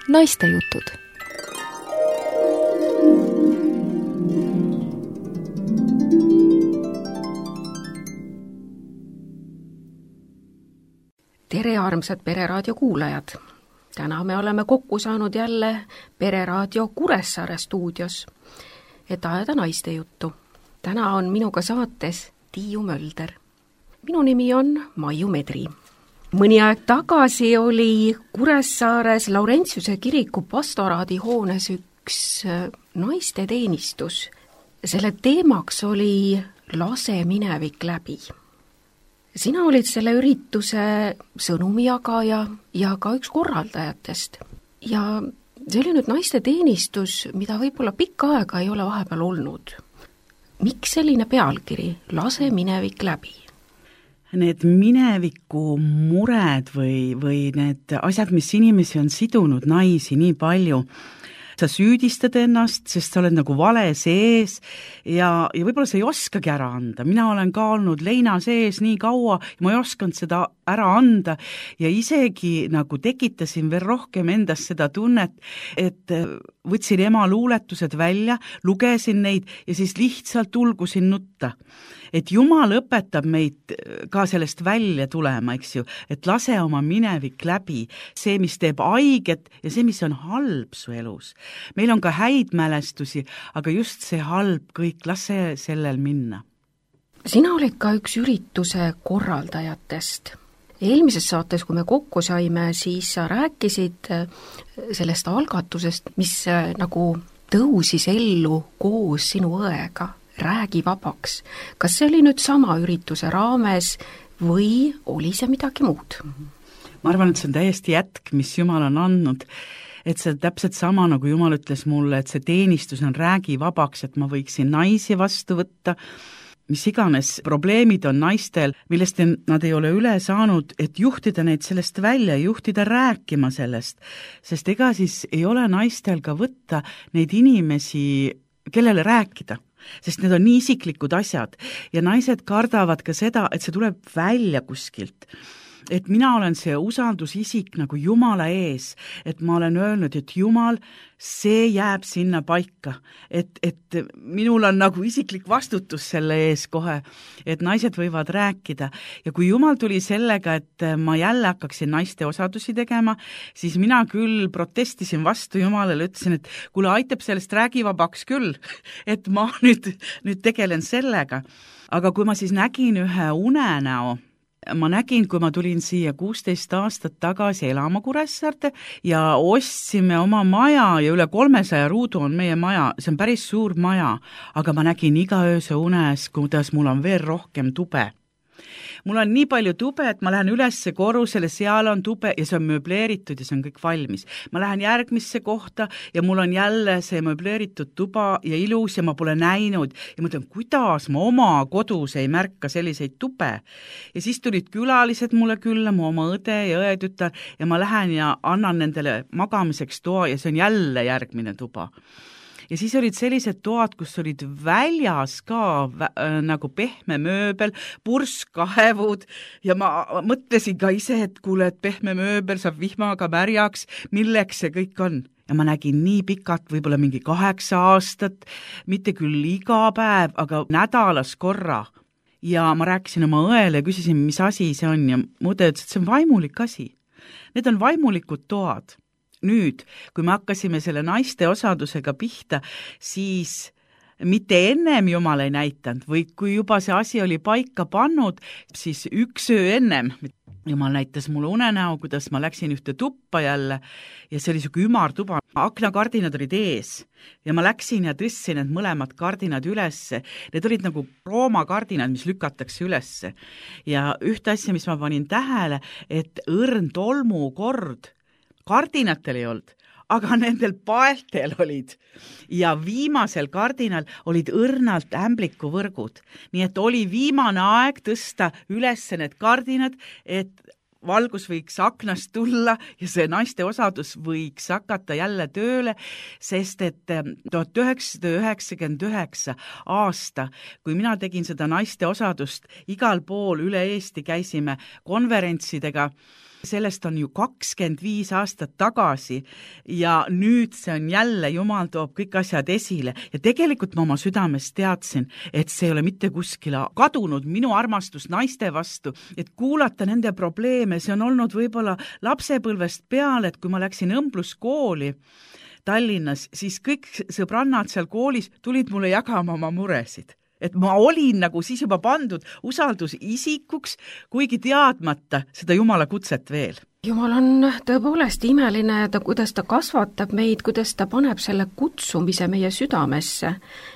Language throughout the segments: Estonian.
Naistejutud. Tere, armsad Pereraadio kuulajad! Täna me oleme kokku saanud jälle Pereraadio Kuressaare stuudios, et ajada naistejuttu. Täna on minuga saates Tiiu Mölder. Minu nimi on Maiu Medri. Mõni aeg tagasi oli Kuressaares Laurentiuse kiriku pastoraadihoones üks naisteteenistus. Selle teemaks oli lase minevik läbi. Sina olid selle ürituse sõnumijagaja ja ka üks korraldajatest. Ja see oli nüüd naisteteenistus, mida võib-olla pikka aega ei ole vahepeal olnud. Miks selline pealkiri, lase minevik läbi? Need mineviku mured või need asjad, mis inimesi on sidunud, naisi nii palju, sa süüdistad ennast, sest sa oled nagu vale sees ja võib-olla sa ei oskagi ära anda. Mina olen ka olnud leina sees nii kaua ja ma ei oskanud seda ära anda ja isegi nagu tekitasin veel rohkem endast seda tunnet, et võtsin ema luuletused välja, lugesin neid ja siis lihtsalt ulgusin nutta. Et Jumal õpetab meid ka sellest välja tulema, eks ju, et lase oma minevik läbi, see, mis teeb haiget ja see, mis on halb su elus. Meil on ka häid mälestusi, aga just see halb kõik, lase sellel minna. Sina olid ka üks ürituse korraldajatest. Eelmises saates, kui me kokku saime, siis sa rääkisid sellest algatusest, mis nagu tõusis ellu koos sinu õega. Räägi vabaks. Kas see oli nüüd sama ürituse raames või oli see midagi muud? Ma arvan, et see on täiesti jätk, mis Jumal on andnud. Et see täpselt sama, nagu Jumal ütles mulle, et see teenistus on räägi vabaks, et ma võiksin naisi vastu võtta. Mis iganes probleemid on naistel, millest nad ei ole üle saanud, et juhtida neid sellest välja, juhtida rääkima sellest. Sest ega siis ei ole naistel ka võtta neid inimesi, kellele rääkida. Sest need on nii isiklikud asjad ja naised kardavad ka seda, et see tuleb välja kuskilt. Et mina olen see usaldusisik nagu Jumala ees, et ma olen öelnud, et Jumal, see jääb sinna paika, et minul on nagu isiklik vastutus selle ees kohe, et naised võivad rääkida. Ja kui Jumal tuli sellega, et ma jälle hakkaksin naiste osadusi tegema, siis mina küll protestisin vastu Jumalele, ütlesin, et kuule, aitab sellest räägivabaks küll, et ma nüüd tegelen sellega. Aga kui ma siis nägin ühe unenäo, ma nägin, kui ma tulin siia 16 aastat tagasi elama Kuressaarde ja ostsime oma maja ja üle 300 ruudu on meie maja, see on päris suur maja, aga ma nägin iga ööse unes, kuidas mul on veel rohkem tube. Mul on nii palju tube, et ma lähen ülesse korrusele, seal on tube ja see on mööbleeritud ja see on kõik valmis. Ma lähen järgmisse kohta ja mul on jälle see mööbleeritud tuba ja ilus ja ma pole näinud ja mõtlen, kuidas ma oma kodus ei märka selliseid tube. Ja siis tulid külalised mulle külla, mu oma õde ja õetütar ja ma lähen ja annan nendele magamiseks toa ja see on jälle järgmine tuba. Ja siis olid sellised toad, kus olid väljas ka nagu pehme mööbel, purskkaevud ja ma mõtlesin ka ise, et kuule, et pehme mööbel saab vihmaga märjaks, milleks see kõik on. Ja ma nägin nii pikalt, võib-olla mingi 8 aastat, mitte küll iga päev, aga nädalas korra. Ja ma rääkisin oma õele ja küsisin, mis asi see on ja mu õde ütles, et see on vaimulik asi. Need on vaimulikud toad. Nüüd, kui me hakkasime selle naiste osadusega pihta, siis mitte ennem Jumal ei näitanud või kui juba see asi oli paika pannud, siis üks öö ennem Jumal näitas mulle unenäo, kuidas ma läksin ühte tuppa jälle ja see oli siuke ümartuba. Aknakardinad olid ees ja ma läksin ja tõstsin need mõlemad kardinad ülesse. Need olid nagu Rooma kardinad, mis lükatakse ülesse. Ja ühte asja, mis ma panin tähele, et õrn tolmukord kardinatel ei olnud, aga nendel paeltel olid. Ja viimasel kardinal olid õrnalt ämblikuvõrgud. Nii et oli viimane aeg tõsta üles need kardinad, et valgus võiks aknast tulla ja see naiste osadus võiks hakata jälle tööle, sest et 1999 aasta, kui mina tegin seda naiste osadust, igal pool üle Eesti käisime konverentsidega sellest on ju 25 aastat tagasi ja nüüd see on jälle, Jumal toob kõik asjad esile ja tegelikult ma oma südames teadsin, et see ei ole mitte kuskile kadunud, minu armastus naiste vastu, et kuulata nende probleeme, see on olnud võib-olla lapsepõlvest peale, et kui ma läksin õmbluskooli Tallinnas, siis kõik sõbrannad seal koolis tulid mulle jagama oma muresid. Et ma olin nagu siis juba pandud usaldusisikuks, kuigi teadmata seda Jumala kutset veel. Jumal on tõepoolest imeline, kuidas ta kasvatab meid, kuidas ta paneb selle kutsumise meie südamesse.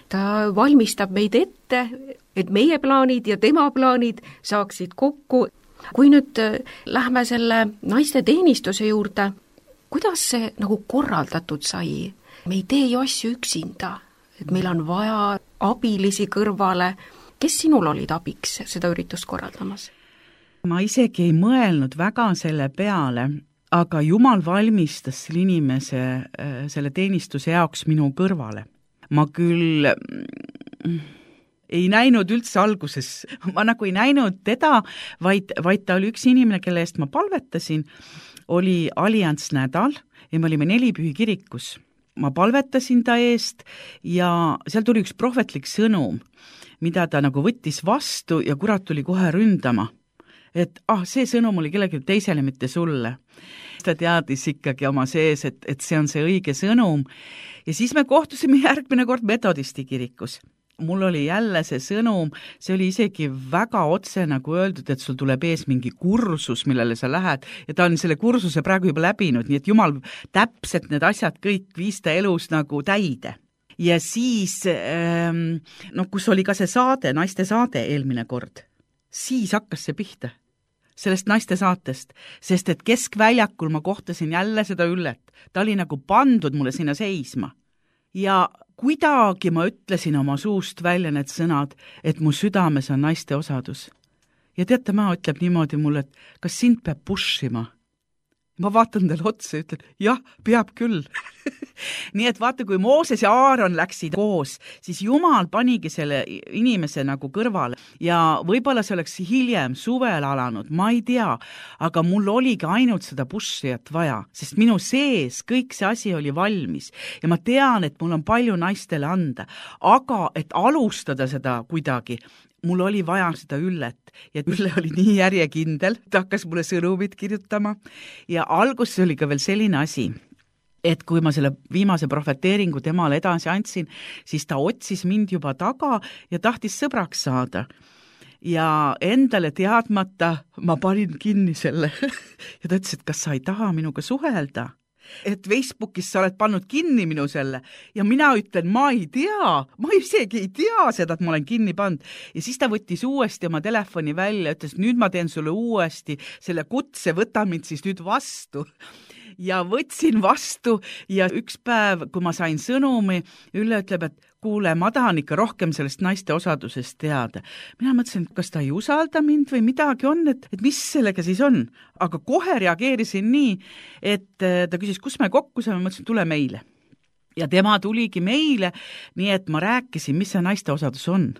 Ta valmistab meid ette, et meie plaanid ja tema plaanid saaksid kokku. Kui nüüd lähme selle naiste teenistuse juurde, kuidas see nagu korraldatud sai? Me ei tee ju asju üksinda. Et meil on vaja abilisi kõrvale. Kes sinul olid abiks seda üritust korraldamas? Ma isegi ei mõelnud väga selle peale, aga Jumal valmistas selle inimese selle teenistuse jaoks minu kõrvale. Ma küll ei näinud üldse alguses, ma nagu ei näinud teda, vaid ta oli üks inimene, kelle eest ma palvetasin, oli Allianz nädal ja me olime Nelipühi kirikus. Ma palvetasin ta eest ja seal tuli üks prohvetlik sõnum, mida ta nagu võttis vastu ja kurat tuli kohe ründama. Et see sõnum oli kellelegi teisele, mitte sulle. Ta teadis ikkagi oma sees, et see on see õige sõnum. Ja siis me kohtusime järgmine kord Metodisti kirikus. Mul oli jälle see sõnum, see oli isegi väga otse nagu öeldud, et sul tuleb ees mingi kursus, millele sa lähed ja ta on selle kursuse praegu juba läbinud, nii et Jumal täpselt need asjad kõik viis ta elus nagu täide. Ja siis, kus oli ka see saade, naiste saade eelmine kord, siis hakkas see pihta sellest naiste saatest, sest et keskväljakul ma kohtasin jälle seda Üllet, ta oli nagu pandud mulle sinna seisma. Ja kuidagi ma ütlesin oma suust välja need sõnad, et mu südames on naiste osadus. Ja teate, ma ütleb niimoodi mulle, et kas sind peab pushima? Ma vaatan talle otsa ja ütlen, jah, peab küll. Nii et vaata, kui Mooses ja Aaron läksid koos, siis Jumal panigi selle inimese nagu kõrvale ja võib-olla see oleks hiljem suvel alanud, ma ei tea, aga mul oligi ainult seda pushijat vaja, sest minu sees kõik see asi oli valmis ja ma tean, et mul on palju naistele anda, aga et alustada seda kuidagi, mul oli vaja seda Üllet ja Ülle oli nii järjekindel, ta hakkas mulle sõnumid kirjutama ja alguses oli ka veel selline asi, et kui ma selle viimase profeteeringu temale edasi andsin, siis ta otsis mind juba taga ja tahtis sõbraks saada. Ja endale teadmata ma panin kinni selle ja ta ütles, et kas sa ei taha minuga suhelda? Et Facebookis sa oled pannud kinni minu selle ja mina ütlen, ma ei tea, ma isegi ei tea seda, et ma olen kinni pannud. Ja siis ta võttis uuesti oma telefoni välja ja ütles, nüüd ma teen sulle uuesti selle kutse, võta mind siis nüüd vastu. Ja võtsin vastu ja üks päev, kui ma sain sõnumi, Ülle ütleb, et kuule, ma tahan ikka rohkem sellest naiste osadusest teada. Mina mõtlesin, kas ta ei usalda mind või midagi on, et mis sellega siis on. Aga kohe reageerisin nii, et ta küsis, kus me kokku saame, mõtlesin, tule meile. Ja tema tuligi meile, nii et ma rääkisin, mis see naiste osadus on.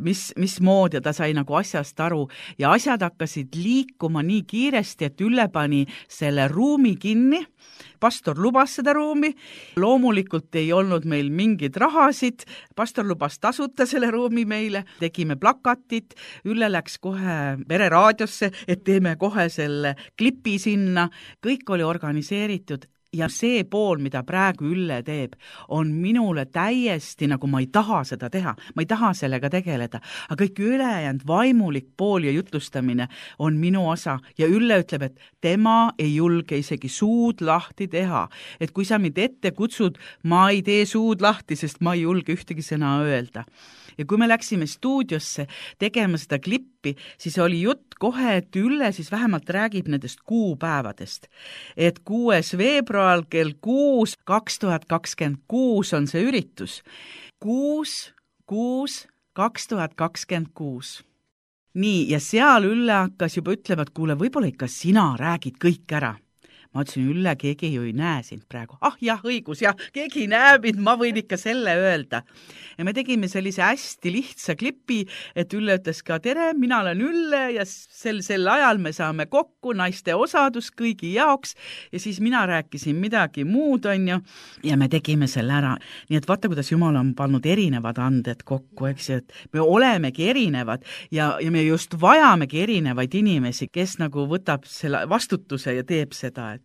Mis mood ja ta sai nagu asjast aru ja asjad hakkasid liikuma nii kiiresti, et Ülle pani selle ruumi kinni. Pastor lubas seda ruumi, loomulikult ei olnud meil mingid rahasid, pastor lubas tasuta selle ruumi meile, tegime plakatit, Ülle läks kohe pereraadiosse, et teeme kohe selle klipi sinna, kõik oli organiseeritud. Ja see pool, mida praegu Ülle teeb, on minule täiesti nagu ma ei taha seda teha, ma ei taha sellega tegeleda, aga kõik ülejäänud vaimulik pool ja jutlustamine on minu osa ja Ülle ütleb, et tema ei julge isegi suud lahti teha, et kui sa mind ette kutsud, ma ei tee suud lahti, sest ma ei julge ühtegi sõna öelda. Ja kui me läksime stuudiosse tegema seda klippi, siis oli jutt kohe, et Ülle siis vähemalt räägib nendest kuupäevadest. Et 6. veebruar kell 6, 2026 on see üritus. 6, 2026. Nii, ja seal Ülle hakkas juba ütlema, et kuule, võib-olla ikka sina räägid kõik ära. ma ütlesin, Ülle, keegi ju ei näe sind praegu. Ah jah, õigus, jah, keegi näeb mind, ma võin ikka selle öelda. Ja me tegime sellise hästi lihtsa klipi, et Ülle ütles ka, tere, mina olen Ülle ja sel ajal me saame kokku, naiste osadus kõigi jaoks ja siis mina rääkisin midagi muud, on ju, ja me tegime selle ära. Nii et vaata, kuidas Jumal on pannud erinevad anded kokku, eks ju, et me olemegi erinevad ja me just vajamegi erinevaid inimesi, kes nagu võtab selle vastutuse ja teeb seda, et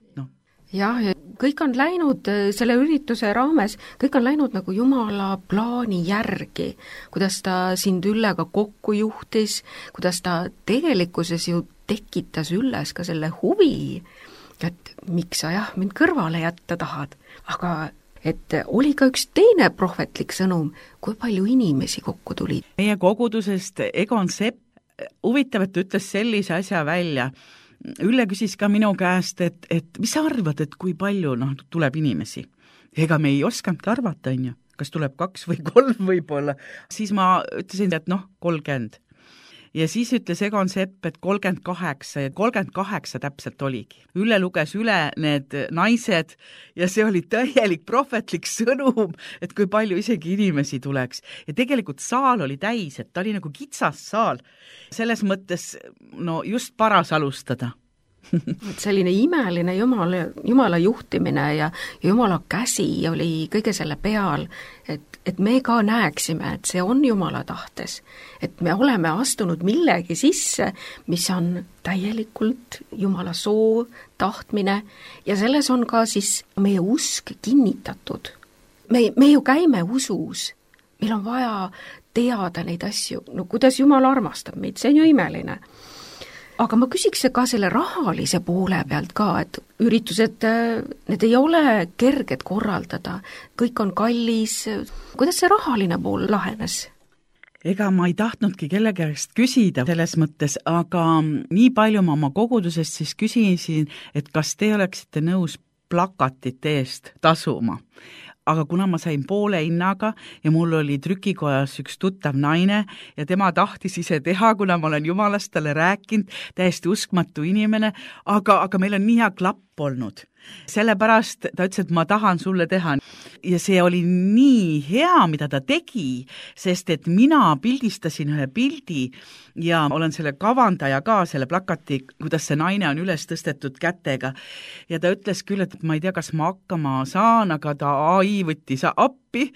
jah, ja kõik on läinud selle ürituse raames, kõik on läinud nagu Jumala plaani järgi, kuidas ta sind Üllega kokku juhtis, kuidas ta tegelikkuses ju tekitas Ülles ka selle huvi, et miks sa jah, mind kõrvale jätta tahad, aga et oli ka üks teine prohvetlik sõnum, kui palju inimesi kokku tuli. Meie kogudusest Egon Sepp, huvitav, et ütles sellise asja välja. Ülle küsis ka minu käest, et mis sa arvad, et kui palju tuleb inimesi? Ega me ei osanud arvata, on ju, kas tuleb 2 või 3 võib-olla. Siis ma ütlesin, et 30. Ja siis ütles Egon Sepp, et 38 ja 38 täpselt oligi. Ülle luges üle need naised ja see oli täielik prohvetlik sõnum, et kui palju isegi inimesi tuleks. Ja tegelikult saal oli täis, et ta oli nagu kitsas saal. Selles mõttes just paras alustada. Et selline imeline Jumala juhtimine ja Jumala käsi oli kõige selle peal, et me ka näeksime, et see on Jumala tahtes, et me oleme astunud millegi sisse, mis on täielikult Jumala soov, tahtmine ja selles on ka siis meie usk kinnitatud. Me ju käime usus, meil on vaja teada neid asju, kuidas Jumal armastab meid, see on ju imeline. Aga ma küsiks ka selle rahalise poole pealt ka, et üritused, need ei ole kerged korraldada, kõik on kallis. Kuidas see rahaline pool lahenes? Ega ma ei tahtnudki kelle käest küsida selles mõttes, aga nii palju ma oma kogudusest siis küsisin, et kas te oleksite nõus plakatite eest tasuma. Aga kuna ma sain poole hinnaga ja mul oli trükikojas üks tuttav naine ja tema tahtis ise teha, kuna ma olen Jumalast talle rääkinud, täiesti uskmatu inimene, aga meil on nii hea klapp olnud. Sellepärast ta ütles, et ma tahan sulle teha. Ja see oli nii hea, mida ta tegi, sest et mina pildistasin ühe pildi ja olen selle kavandaja ka, selle plakati, kuidas see naine on üles tõstetud kätega. Ja ta ütles küll, et ma ei tea, kas ma hakkama saan, aga ta AI võttis appi,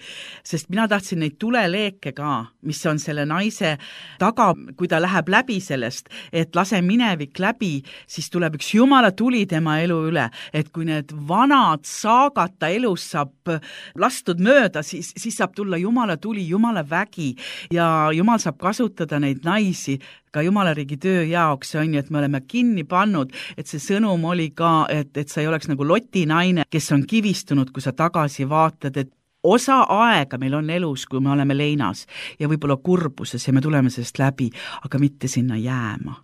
sest mina tahtsin neid tuleleeke ka, mis on selle naise taga, kui ta läheb läbi sellest, et lase minevik läbi, siis tuleb üks Jumala tuli tema elu üle, et kui need vanad saagad ta elus saab lastud mööda, siis saab tulla Jumala tuli, Jumala vägi ja Jumal saab kasutada neid naisi ka Jumala riigi töö jaoks, on ju, et me oleme kinni pannud, et see sõnum oli ka, et sa ei oleks nagu lotinaine, kes on kivistunud, kui sa tagasi vaatad, et osa aega meil on elus, kui me oleme leinas ja võib-olla kurbuses ja me tuleme sellest läbi, aga mitte sinna jääma.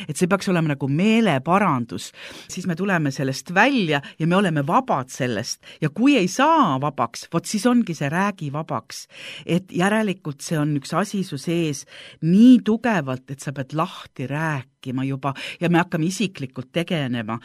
Et see peaks olema nagu meeleparandus, siis me tuleme sellest välja ja me oleme vabad sellest ja kui ei saa vabaks, siis ongi see räägi vabaks, et järelikult see on üks asi su sees nii tugevalt, et sa pead lahti rääkima juba ja me hakkame isiklikult tegelema,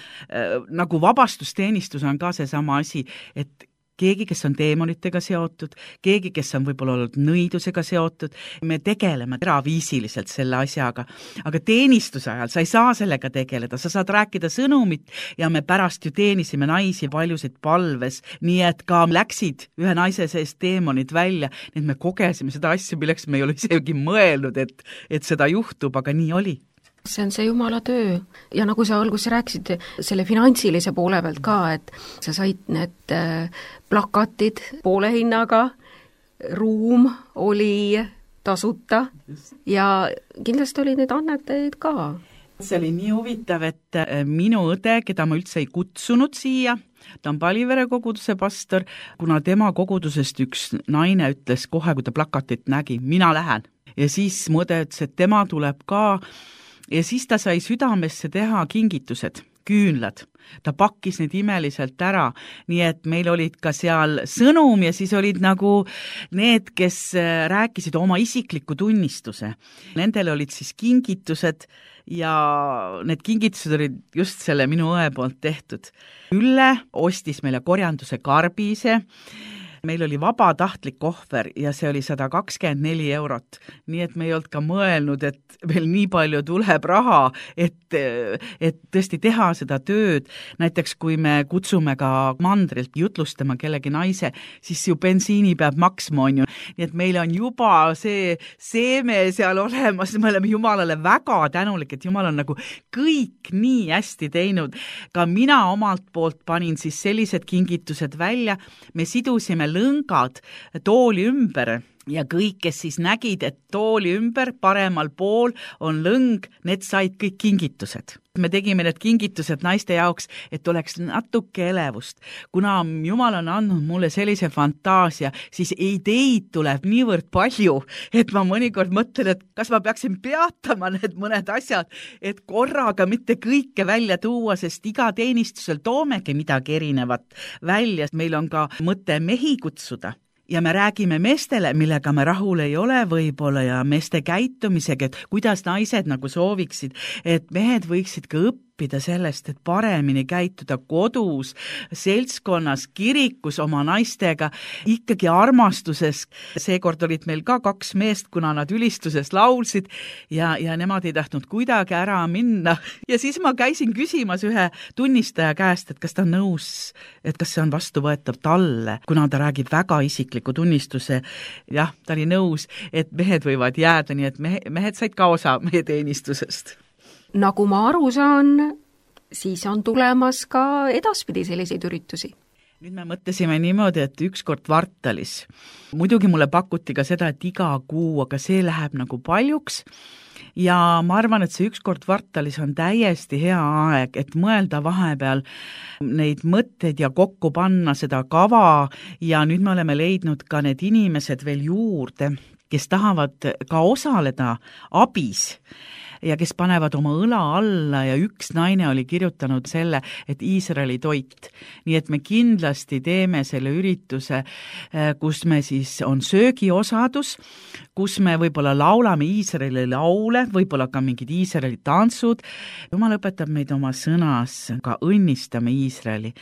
nagu vabastusteenistus on ka seesama asi, et keegi, kes on teemonitega seotud, keegi, kes on võib-olla olnud nõidusega seotud, me tegeleme eraviisiliselt selle asjaga, aga teenistuse ajal sa ei saa sellega tegeleda, sa saad rääkida sõnumit ja me pärast ju teenisime naisi paljusid palves, nii et ka läksid ühe naise seest teemonid välja, nii et me kogesime seda asja, milleks me ei ole isegi mõelnud, et seda juhtub, aga nii oli. See on see Jumala töö ja nagu sa alguses rääkisid selle finantsilise poole pealt ka, et sa said need plakatid poole hinnaga, ruum oli tasuta ja kindlasti oli need annetajaid ka. See oli nii huvitav, et minu õde, keda ma üldse ei kutsunud siia, ta on Palivere koguduse pastor, kuna tema kogudusest üks naine ütles kohe, kui ta plakatit nägi, mina lähen. Ja siis mu õde ütles, et tema tuleb ka. Ja siis ta sai südamesse teha kingitused. küünlad. Ta pakkis need imeliselt ära, nii et meil olid ka seal sõnum ja siis olid nagu need, kes rääkisid oma isikliku tunnistuse. Nendel olid siis kingitused ja need kingitused olid just selle minu õe poolt tehtud. Ülle ostis meile korjanduse karbise, meil oli vabatahtlik ohver ja see oli 124 €. Nii et me ei olnud ka mõelnud, et meil nii palju tuleb raha, et tõesti teha seda tööd. Näiteks kui me kutsume ka mandrilt jutlustama kellegi naise, siis ju bensiini peab maksma, on ju. Nii et meil on juba see seeme seal olemas, me oleme Jumalale väga tänulik, et Jumal on nagu kõik nii hästi teinud. Ka mina omalt poolt panin siis sellised kingitused välja, me sidusime lõngad tooli ümber ja kõik, kes siis nägid, et tooli ümber paremal pool on lõng, need said kõik kingitused. Me tegime need kingitused naiste jaoks, et oleks natuke elevust. Kuna Jumal on andnud mulle sellise fantaasia, siis ideid tuleb niivõrd palju, et ma mõnikord mõtlen, et kas ma peaksin peatama need mõned asjad, et korraga mitte kõike välja tuua, sest iga teenistusel toomegi midagi erinevat välja. Meil on ka mõte mehi kutsuda. Ja me räägime meestele, millega me rahul ei ole võib-olla ja meeste käitumisega, et kuidas naised nagu sooviksid, et mehed võiksid ka õppida sellest, et paremini käituda kodus, seltskonnas, kirikus oma naistega, ikkagi armastuses. Seekord olid meil ka 2 meest, kuna nad ülistuses laulsid ja nemad ei tahtnud kuidagi ära minna. Ja siis ma käisin küsimas ühe tunnistaja käest, et kas ta on nõus, et kas see on vastuvõetav talle, kuna ta räägib väga isikliku tunnistuse. Jah, ta oli nõus, et mehed võivad jääda, nii et mehed said ka osa meie teenistusest. Nagu ma aru saan, siis on tulemas ka edaspidi selliseid üritusi. Nüüd me mõtlesime niimoodi, et 1 kord kvartalis. Muidugi mulle pakuti ka seda, et iga kuu, aga see läheb nagu paljuks. Ja ma arvan, et see 1 kord kvartalis on täiesti hea aeg, et mõelda vahepeal neid mõtteid ja kokku panna seda kava ja nüüd me oleme leidnud ka need inimesed veel juurde, kes tahavad ka osaleda abis ja kes panevad oma õla alla ja üks naine oli kirjutanud selle, et Iisraeli toit. Nii et me kindlasti teeme selle ürituse, kus me siis on söögiosadus, kus me võib-olla laulame Iisraeli laule, võib-olla ka mingid Iisraeli tantsud. Jumal õpetab meid oma sõnas, ka õnnistame Iisraeli.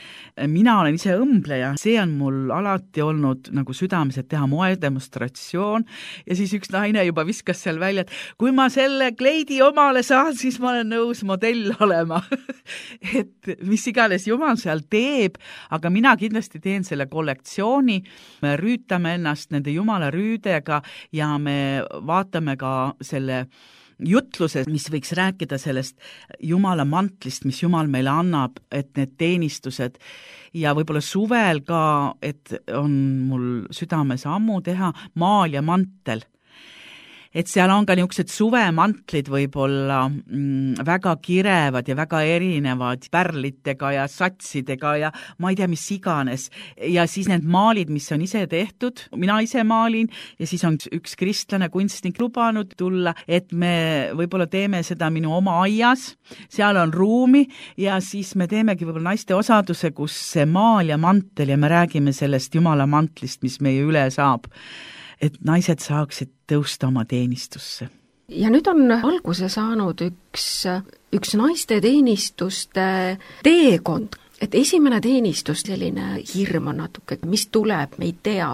Mina olen ise õmbleja, see on mul alati olnud nagu südames, et teha moedemonstratsioon ja siis üks naine juba viskas seal välja, et kui ma selle kleidi omale saan, siis ma olen nõus modell olema. Et mis iganes Jumal seal teeb, aga mina kindlasti teen selle kollektsiooni, me rüütame ennast nende Jumala rüüdega ja me vaatame ka selle jutluse, mis võiks rääkida sellest Jumala mantlist, mis Jumal meile annab, et need teenistused ja võib-olla suvel ka, et on mul südames ammu teha maal ja mantel. Et seal on ka niisugused suvemantlid võib-olla väga kirevad ja väga erinevad pärlitega ja satsidega ja ma ei tea, mis iganes. Ja siis need maalid, mis on ise tehtud, mina ise maalin ja siis on üks kristlane kunstnik lubanud tulla, et me võib-olla teeme seda minu oma aias, seal on ruumi ja siis me teemegi võib-olla naiste osaduse, kus see maal ja mantel ja me räägime sellest Jumala mantlist, mis meie üle saab. Et naised saaksid tõusta oma teenistusse. Ja nüüd on alguse saanud üks naiste teenistuste teekond, et esimene teenistus, selline hirm on natuke, mis tuleb, me ei tea.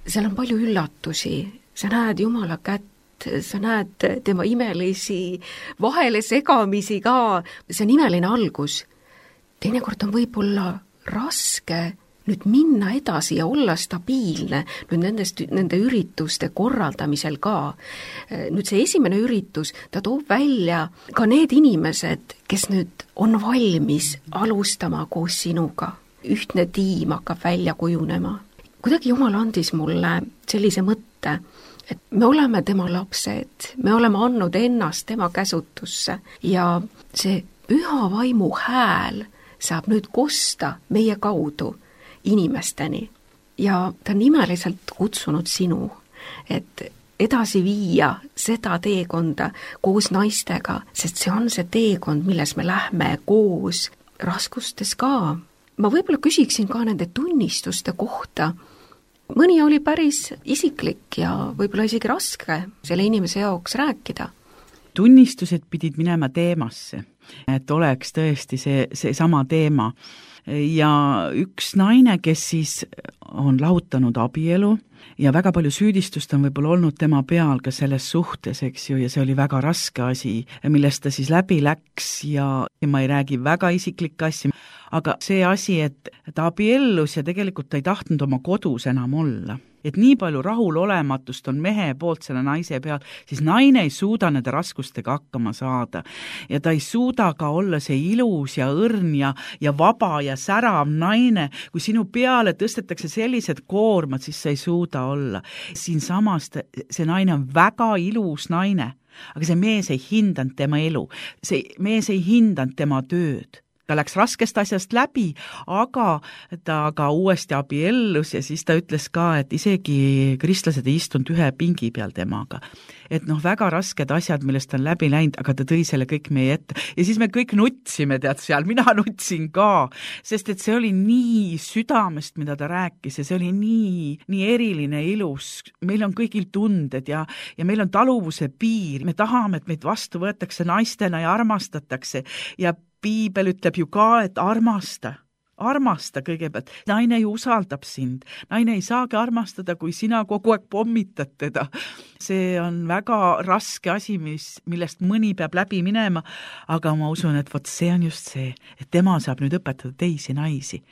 Seal on palju üllatusi, sa näed Jumala kätt, sa näed tema imelisi vahele segamisi ka, see on imeline algus. Teinekord on võib-olla raske nüüd minna edasi ja olla stabiilne nüüd nende ürituste korraldamisel ka. Nüüd see esimene üritus, ta toob välja ka need inimesed, kes nüüd on valmis alustama koos sinuga. Ühtne tiim hakkab välja kujunema. Kuidagi Jumal andis mulle sellise mõtte, et me oleme tema lapsed, me oleme andnud ennast tema käsutusse ja see püha vaimu hääl saab nüüd kosta meie kaudu inimesteni ja ta on imeliselt kutsunud sinu, et edasi viia seda teekonda koos naistega, sest see on see teekond, milles me lähme koos raskustes ka. Ma võib-olla küsiksin ka nende tunnistuste kohta. Mõni oli päris isiklik ja võib-olla isegi raske selle inimese jaoks rääkida. Tunnistused pidid minema teemasse, et oleks tõesti see sama teema. Ja üks naine, kes siis on lahutanud abielu ja väga palju süüdistust on võib-olla olnud tema peal ka selles suhtes, eks ju, ja see oli väga raske asi, millest ta siis läbi läks ja ma ei räägi väga isiklikke asju, aga see asi, et ta abiellus ja tegelikult ta ei tahtnud oma kodus enam olla. Et nii palju rahulolematust on mehe poolt selle naise peal, siis naine ei suuda nende raskustega hakkama saada. Ja ta ei suuda ka olla see ilus ja õrn ja vaba ja särav naine. Kui sinu peale tõstetakse sellised koormad, siis sa ei suuda olla. Siin samas see naine on väga ilus naine, aga see mees ei hindanud tema elu. See mees ei hindanud tema tööd. Ta läks raskest asjast läbi, aga ta ka uuesti abiellus ja siis ta ütles ka, et isegi kristlased ei istunud ühe pingi peal temaga. Et väga rasked asjad, millest on läbi läinud, aga ta tõi selle kõik meie ette. Ja siis me kõik nutsime, tead seal, mina nutsin ka, sest et see oli nii südamest, mida ta rääkis ja see oli nii eriline ilus. Meil on kõigil tunded ja meil on taluvuse piir. Me tahame, et meid vastu võetakse naistena ja armastatakse ja Piibel ütleb ju ka, et armasta kõigepealt. Naine ju usaldab sind. Naine ei saagi armastada, kui sina kogu aeg pommitad teda. See on väga raske asi, millest mõni peab läbi minema, aga ma usun, et see on just see, et tema saab nüüd õpetada teisi naisi.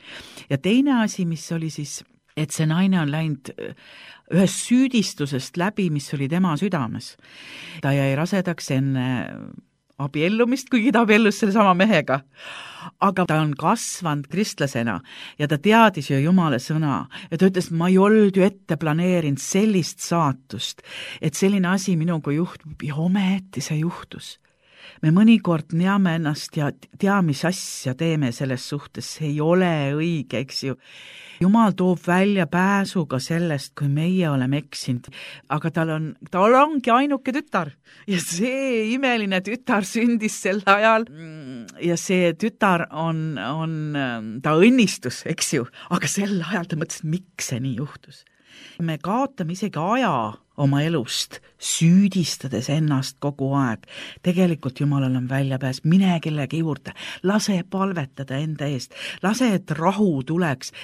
Ja teine asi, mis oli siis, et see naine on läinud ühest süüdistusest läbi, mis oli tema südames. Ta jäi rasedaks enne abiellumist, kuigi ta abiellus selle sama mehega. Aga ta on kasvanud kristlasena ja ta teadis ju Jumala sõna ja ta ütles, ma ei olnud ju ette planeerinud sellist saatust, et selline asi minuga juhtub ja ometi see juhtus. Me mõnikord neame ennast ja tea, mis asja teeme selles suhtes, see ei ole õige, eks ju. Jumal toob välja pääsu ka sellest, kui meie oleme eksinud, aga tal ongi ainuke tütar ja see imeline tütar sündis sel ajal ja see tütar on ta õnnistus, eks ju, aga sel ajal ta mõtles, miks see nii juhtus. Me kaotame isegi aja oma elust, süüdistades ennast kogu aeg. Tegelikult Jumalal on väljapääs, mine kellegi juurde, lase palvetada enda eest, lase, et rahu tuleks.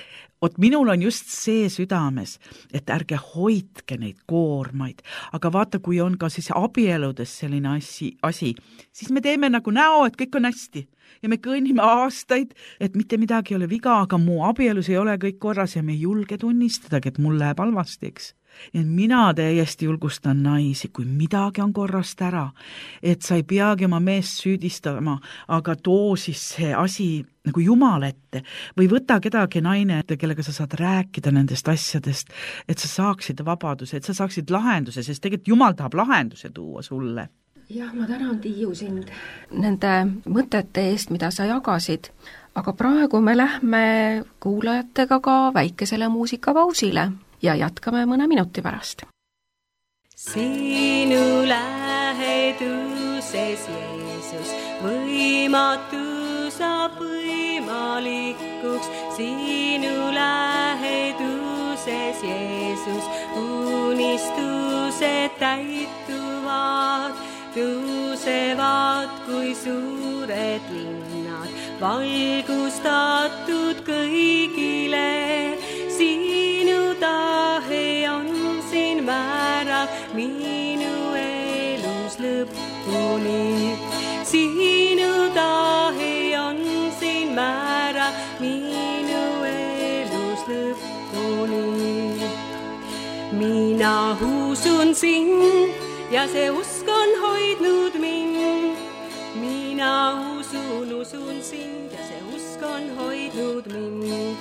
Minul on just see südames, et ärge hoidke neid koormaid, aga vaata, kui on ka siis abieludes selline asi, siis me teeme nagu näo, et kõik on hästi ja me kõnnime aastaid, et mitte midagi ei ole viga, aga mu abielus ei ole kõik korras ja me ei julge tunnistadagi, et mul läheb halvasti, eks. Ja mina täiesti julgustan naisi, kui midagi on korrast ära, et sa ei peagi oma meest süüdistama, aga too siis see asi nagu Jumal ette või võta kedagi naine ette, kellega sa saad rääkida nendest asjadest, et sa saaksid vabaduse, et sa saaksid lahenduse, sest tegelikult Jumal tahab lahenduse tuua sulle. Jah, ma tänan, Tiiu, sind nende mõtete eest, mida sa jagasid, aga praegu me lähme kuulajatega ka väikesele muusikapausile ja jätkame mõne minuti pärast. Sinu läheduses, Jeesus, võimatu saab võimalikuks. Sinu läheduses, Jeesus, unistused täituvad, tõusevad kui suured linnad, valgustatud kõigile. Sinu tahe on siin määrav minu elus lõpuni. Sinu tahe on siin määrav minu elus lõpuni. Mina usun sind ja see usk on hoidnud mind. Mina usun sind ja see usk on hoidnud mind.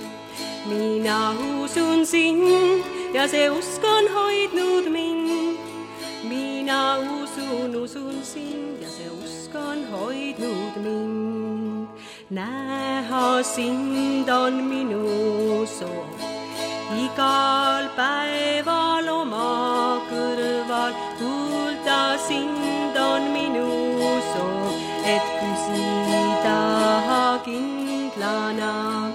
Mina usun sind ja see usk on hoidnud mind. Mina usun sind ja see usk on hoidnud mind. Näha sind on minu soov, igal päeval oma kõrval. Kuulda sind on minu soov, et küsida kindlasti. sõbrana.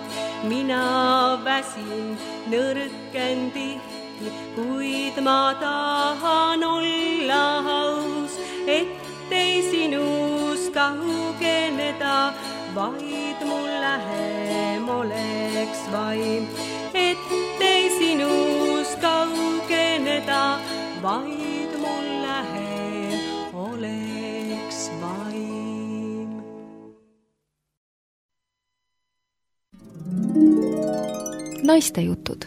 Mina väsin, nõrken tihti, kuid ma tahan olla aus, ettei sinust kaugeneda, vaid mul lähem oleks vaim. Ettei sinust kaugeneda, vaid mul lähem oleks vaim. Naistejutud.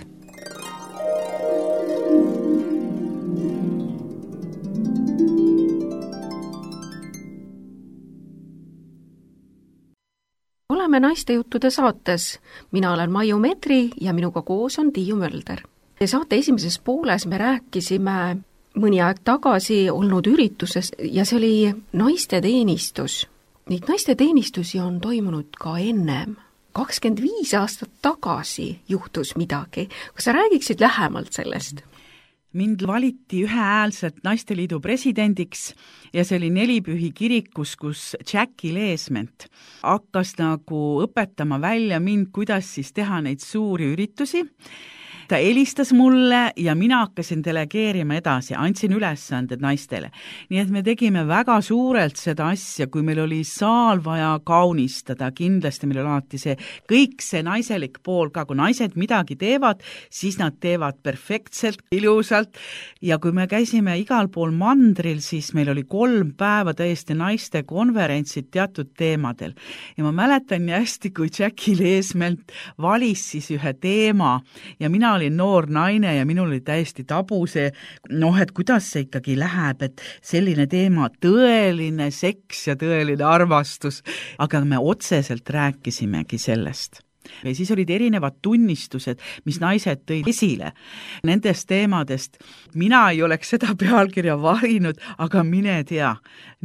Oleme Naistejuttude saates. Mina olen Maiu Medri ja minuga koos on Tiiu Mölder. Saate esimeses pooles me rääkisime mõni aeg tagasi olnud üritusest ja see oli naisteteenistus. Neid naisteteenistusi on toimunud ka ennem. 25 aastat tagasi juhtus midagi. Kas sa räägiksid lähemalt sellest? Mind valiti ühehäälselt Naisteliidu presidendiks ja see oli Nelipühi kirikus, kus Jackie Leesment hakkas nagu õpetama välja mind, kuidas siis teha neid suuri üritusi. Ta helistas mulle ja mina hakkasin delegeerima edasi, andsin ülesanded naistele. Nii et me tegime väga suurelt seda asja, kui meil oli saal vaja kaunistada, kindlasti meil oli alati see, kõik see naiselik pool ka, kui naised midagi teevad, siis nad teevad perfektselt, ilusalt ja kui me käisime igal pool mandril, siis meil oli 3 päeva täiesti naiste konverentsid teatud teemadel. Ja ma mäletan nii hästi, kui Jackie Leesment valis siis ühe teema ja mina olin noor naine ja minul oli täiesti tabu see, et kuidas see ikkagi läheb, et selline teema, tõeline seks ja tõeline armastus, aga me otseselt rääkisimegi sellest. Ja siis olid erinevad tunnistused, mis naised tõid esile nendest teemadest. Mina ei oleks seda pealkirja varinud, aga mine tea.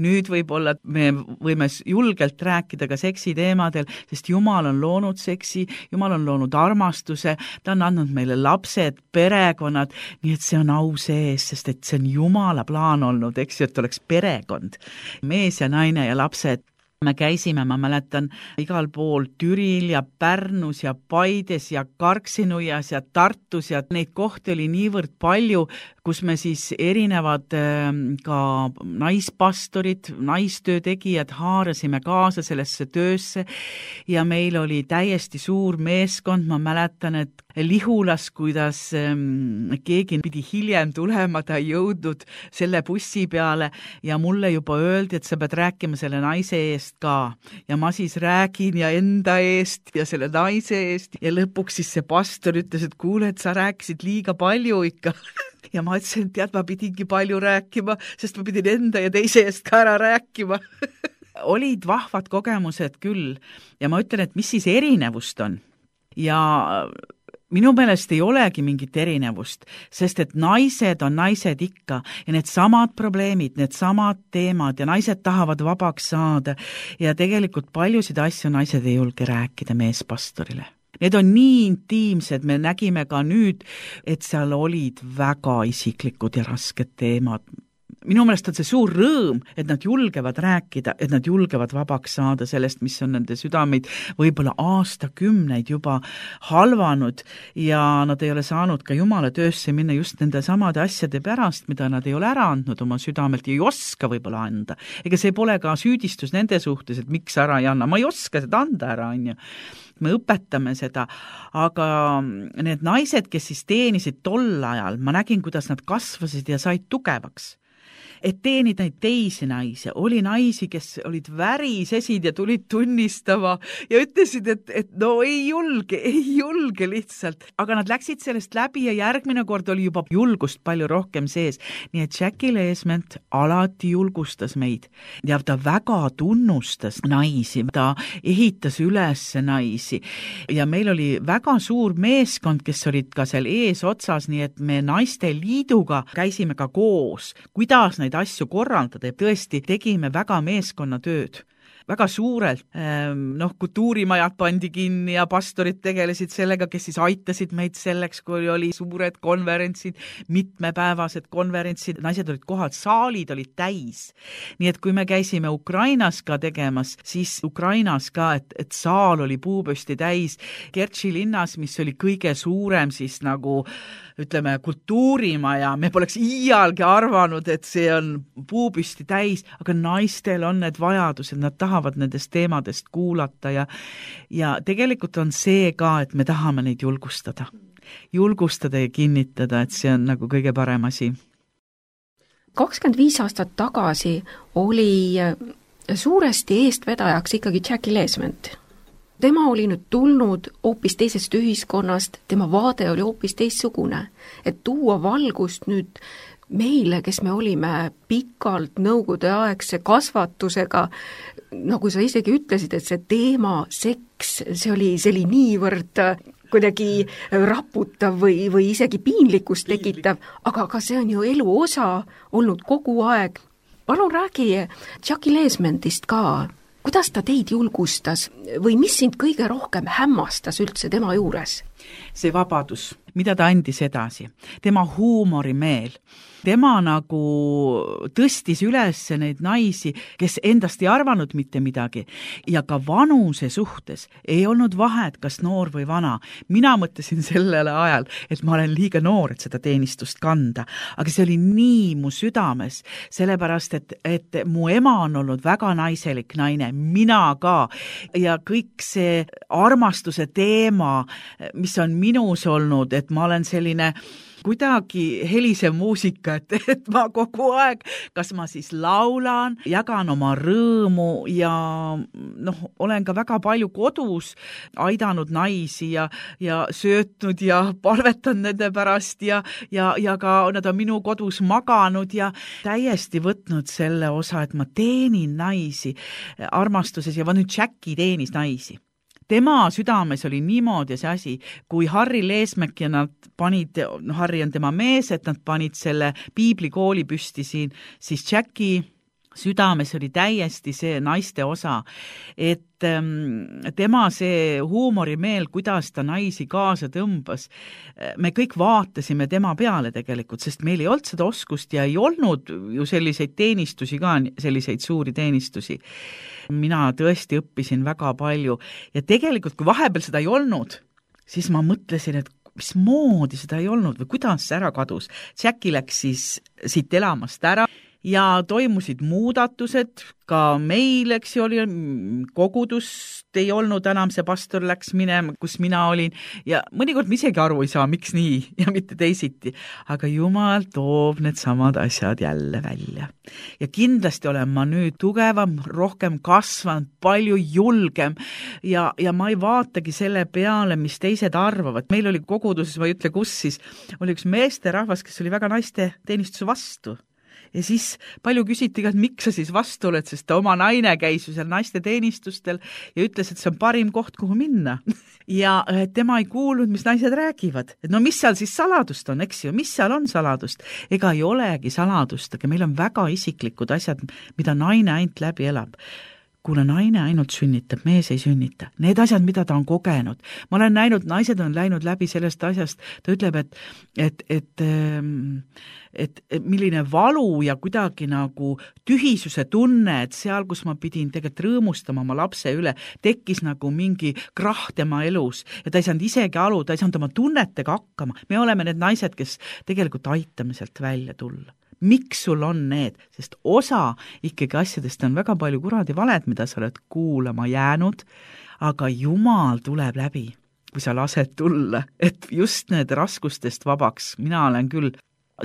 Nüüd võib-olla me võime julgelt rääkida ka seksi teemadel, sest Jumal on loonud seksi, Jumal on loonud armastuse, ta on andnud meile lapsed, perekonnad, nii et see on au sees, sest et see on Jumala plaan olnud, eks ju, et oleks perekond, mees ja naine ja lapsed. Me käisime, ma mäletan, igal pool Türil ja Pärnus ja Paides ja Karksinuias ja Tartus ja neid kohti oli niivõrd palju, kus me siis erinevad ka naispastorid, naistöötegijad haarasime kaasa sellesse töösse ja meil oli täiesti suur meeskond, ma mäletan, et Lihulas, kuidas keegi pidi hiljem tulema, ta ei jõudnud selle bussi peale ja mulle juba öeldi, et sa pead rääkima selle naise eest ka. Ja ma siis räägin ja enda eest ja selle naise eest ja lõpuks siis see pastor ütles, et kuule, et sa rääkisid liiga palju ikka. Ja ma ütlesin, et ma pidingi palju rääkima, sest ma pidin enda ja teise eest ka ära rääkima. Olid vahvad kogemused küll ja ma ütlen, et mis siis erinevust on. Ja minu meelest ei olegi mingit erinevust, sest et naised on naised ikka ja need samad probleemid, need samad teemad ja naised tahavad vabaks saada ja tegelikult paljusid asju naised ei julge rääkida meespastorile. Need on nii intiimsed, me nägime ka nüüd, et seal olid väga isiklikud ja rasked teemad. Minu meelest on see suur rõõm, et nad julgevad rääkida, et nad julgevad vabaks saada sellest, mis on nende südameid võib-olla aastakümneid juba halvanud ja nad ei ole saanud ka Jumala töösse minna just nende samade asjade pärast, mida nad ei ole ära andnud oma südamelt ja ei oska võib-olla anda. Ega see pole ka süüdistus nende suhtes, et miks ära ei anna, ma ei oska seda anda ära, on ju. Me õpetame seda, aga need naised, kes siis teenisid tol ajal, ma nägin, kuidas nad kasvasid ja said tugevaks. Et teenida neid teisi naisi. Oli naisi, kes olid värisesid ja tulid tunnistama ja ütlesid, et no ei julge lihtsalt. Aga nad läksid sellest läbi ja järgmine kord oli juba julgust palju rohkem sees. Nii et Jackie Leesment alati julgustas meid ja ta väga tunnustas naisi, ta ehitas üles naisi ja meil oli väga suur meeskond, kes olid ka seal ees otsas, nii et me Naisteliiduga käisime ka koos, kuidas neid asju korraldada ja tõesti tegime väga meeskonnatööd. väga suurelt. Kultuurimajad pandi kinni ja pastorid tegelesid sellega, kes siis aitasid meid selleks, kui oli suured konverentsid, mitmepäevased konverentsid, naised olid kohal, saalid olid täis. Nii et kui me käisime Ukrainas ka tegemas, siis Ukrainas ka, et saal oli puupüsti täis. Kertši linnas, mis oli kõige suurem siis nagu ütleme kultuurimaja, me poleks iialgi arvanud, et see on puupüsti täis, aga naistel on need vajadused, nad tahavad nendest teemadest kuulata ja tegelikult on see ka, et me tahame neid julgustada ja kinnitada, et see on nagu kõige parem asi. 25 aastat tagasi oli suuresti eestvedajaks ikkagi Jackie Leesment. Tema oli nüüd tulnud hoopis teisest ühiskonnast, tema vaade oli hoopis teistsugune, et tuua valgust nüüd meile, kes me olime pikalt nõukogudeaegse kasvatusega, nagu sa isegi ütlesid, et see teema, seks, see oli niivõrd kuidagi raputav või isegi piinlikkust tekitav, aga see on ju elu osa olnud kogu aeg. Palun räägi Jackie Leesmentist ka. Kuidas ta teid julgustas või mis sind kõige rohkem hämmastas üldse tema juures? See vabadus, mida ta andis edasi, tema huumorimeel, tema nagu tõstis üles neid naisi, kes endast ei arvanud mitte midagi ja ka vanuse suhtes ei olnud vahet, kas noor või vana. Mina mõtlesin sellele ajal, et ma olen liiga noor, et seda teenistust kanda, aga see oli nii mu südames, sellepärast, et mu ema on olnud väga naiselik naine, mina ka ja kõik see armastuse teema, mis on minus olnud, et ma olen selline kuidagi helise muusika, et ma kogu aeg, kas ma siis laulan, jagan oma rõõmu ja olen ka väga palju kodus aidanud naisi ja söötnud ja palvetanud nende pärast ja ka nad on minu kodus maganud ja täiesti võtnud selle osa, et ma teenin naisi armastuses ja nüüd Jackie teenis naisi. Tema südames oli niimoodi see asi, kui Harri Leesmäk ja nad panid, Harri on tema mees, et nad panid selle piiblikooli püsti siin, siis Jackie südames oli täiesti see naiste osa, et tema see huumorimeel, kuidas ta naisi kaasa tõmbas, me kõik vaatasime tema peale tegelikult, sest meil ei olnud seda oskust ja ei olnud ju selliseid teenistusi ka, selliseid suuri teenistusi. Mina tõesti õppisin väga palju ja tegelikult, kui vahepeal seda ei olnud, siis ma mõtlesin, et mismoodi seda ei olnud või kuidas see ära kadus. Jackie läks siis siit elamast ära ja toimusid muudatused, ka meil, eks ju, oli kogudust ei olnud enam, see pastor läks minema, kus mina olin ja mõnikord ma isegi aru ei saa, miks nii ja mitte teisiti, aga Jumal toob need samad asjad jälle välja. Ja kindlasti olen ma nüüd tugevam, rohkem kasvanud, palju julgem ja ma ei vaatagi selle peale, mis teised arvavad. Meil oli koguduses, ma ei ütle kus siis, oli üks meesterahvas, kes oli väga naiste teenistuse vastu. Ja siis palju küsiti ka, et miks sa siis vastu oled, sest ta oma naine käis ju seal naiste teenistustel ja ütles, et see on parim koht, kuhu minna. Ja tema ei kuulnud, mis naised räägivad. Et no mis seal siis saladust on, eks ju, mis seal on saladust? Ega ei olegi saladust, aga meil on väga isiklikud asjad, mida naine ainult läbi elab. Kuna naine ainult sünnitab, mees ei sünnita. Need asjad, mida ta on kogenud. Ma olen näinud, naised on läinud läbi sellest asjast. Ta ütleb, et milline valu ja kuidagi nagu tühisuse tunne, et seal, kus ma pidin tegelikult rõõmustama oma lapse üle, tekkis nagu mingi krahh tema elus ja ta ei saanud isegi aru, ta ei saanud oma tunnetega hakkama. Me oleme need naised, kes tegelikult aitame sealt välja tulla. Miks sul on need? Sest osa ikkagi asjadest on väga palju kuradi valed, mida sa oled kuulama jäänud, aga Jumal tuleb läbi, kui sa lased tulla, et just need raskustest vabaks. Mina olen küll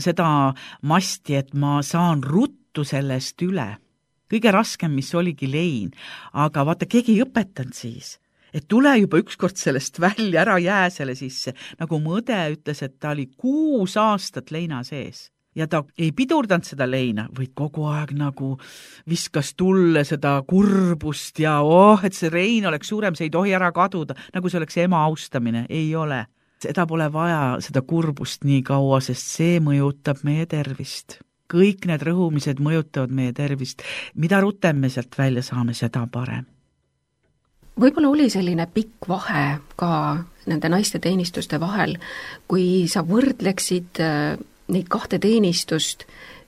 seda masti, et ma saan ruttu sellest üle. Kõige raskem, mis oligi lein, aga vaata, keegi ei õpetanud siis. Et tule juba ükskord sellest välja, ära jää selle sisse. Nagu mu õde ütles, et ta oli 6 aastat leina sees. Ja ta ei pidurdanud seda leina, vaid kogu aeg nagu viskas tulle seda kurbust ja et see rein oleks suurem, see ei tohi ära kaduda, nagu see oleks ema austamine. Ei ole. Seda pole vaja, seda kurbust nii kaua, sest see mõjutab meie tervist. kõik need rõhumised mõjutavad meie tervist. Mida rutem me sealt välja saame, seda parem. Võib-olla oli selline pikk vahe ka nende naiste teenistuste vahel, kui sa võrdleksid neid kahte teenistust,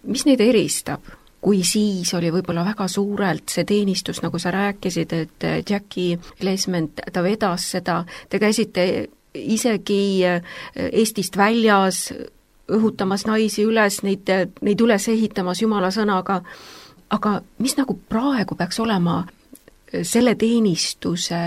mis neid eristab? Kui siis oli võib-olla väga suurelt see teenistus, nagu sa rääkisid, et Jackie Leesment, ta vedas seda, te käisite isegi Eestist väljas õhutamas naisi üles, neid üles ehitamas Jumala sõnaga, aga mis nagu praegu peaks olema selle teenistuse